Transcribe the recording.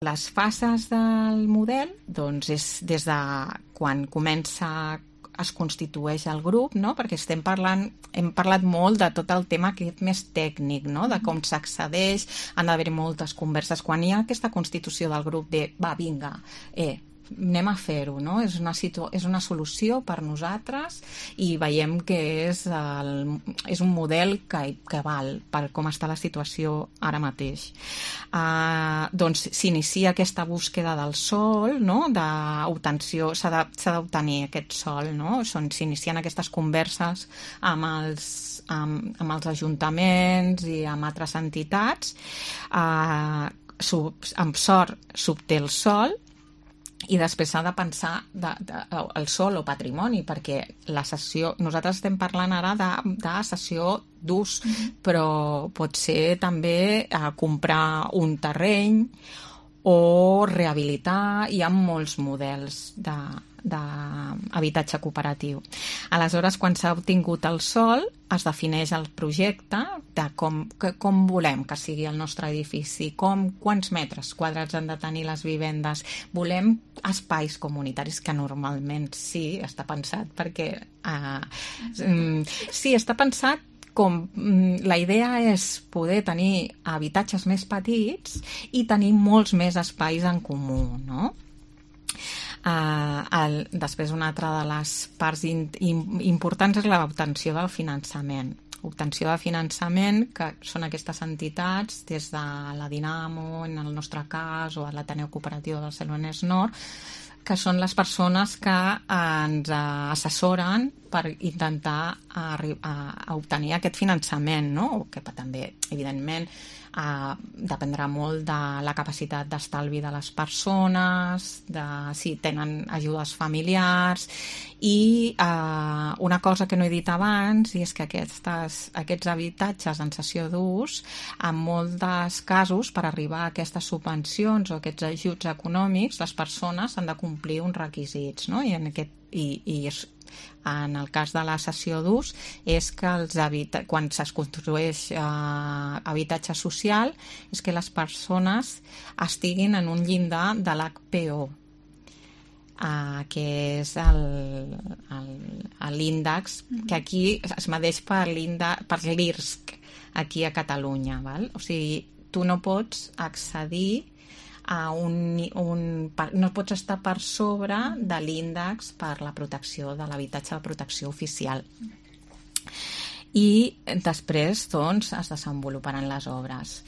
Les fases del model doncs és des de quan es constitueix el grup, no? Perquè hem parlat molt de tot el tema aquest més tècnic, no? De com s'accedeix, han d'haver moltes converses. Quan hi ha aquesta constitució del grup de va, vinga, anem a fer-ho, no? És una solució per nosaltres i veiem que és un model que val per com està la situació ara mateix. Doncs s'inicia aquesta búsqueda del sòl, no? D'obtenció, s'ha d'obtenir aquest sòl, no? S'inicien aquestes converses amb els ajuntaments i amb altres entitats. Amb sort s'obté el sòl i després s'ha de pensar el sòl o patrimoni, perquè la cessió, nosaltres estem parlant ara de cessió d'ús, però pot ser també comprar un terreny o rehabilitar. Hi ha molts models d'habitatge cooperatiu. Aleshores, quan s'ha obtingut el sòl, es defineix el projecte de com volem que sigui el nostre edifici, quants metres quadrats han de tenir les vivendes. Volem espais comunitaris, que normalment sí, està pensat perquè... sí, està pensat com la idea és poder tenir habitatges més petits i tenir molts més espais en comú, no? Després una altra de les parts importants és l'obtenció del finançament. Obtenció de finançament, que són aquestes entitats, des de la Dinamo, en el nostre cas, o l'Ateneu Cooperatiu de Barcelonès Nord, que són les persones que ens assessoren per intentar obtenir aquest finançament, no? Que també, evidentment, dependrà molt de la capacitat d'estalvi de les persones, de si tenen ajudes familiars, i una cosa que no he dit abans, i és que aquests habitatges en cessió d'ús, en molts casos, per arribar a aquestes subvencions o aquests ajuts econòmics, les persones han de complir uns requisits, no? I en el cas de la cessió d'ús és que quan es construeix habitatge social és que les persones estiguin en un llindar de l'HPO, que és l'índex que aquí es medeix per l'IRSC aquí a Catalunya, val? O sigui, tu no pots accedir no pots estar per sobre de l'índex per la protecció de l'habitatge de protecció oficial. I després, doncs, es desenvoluparan les obres.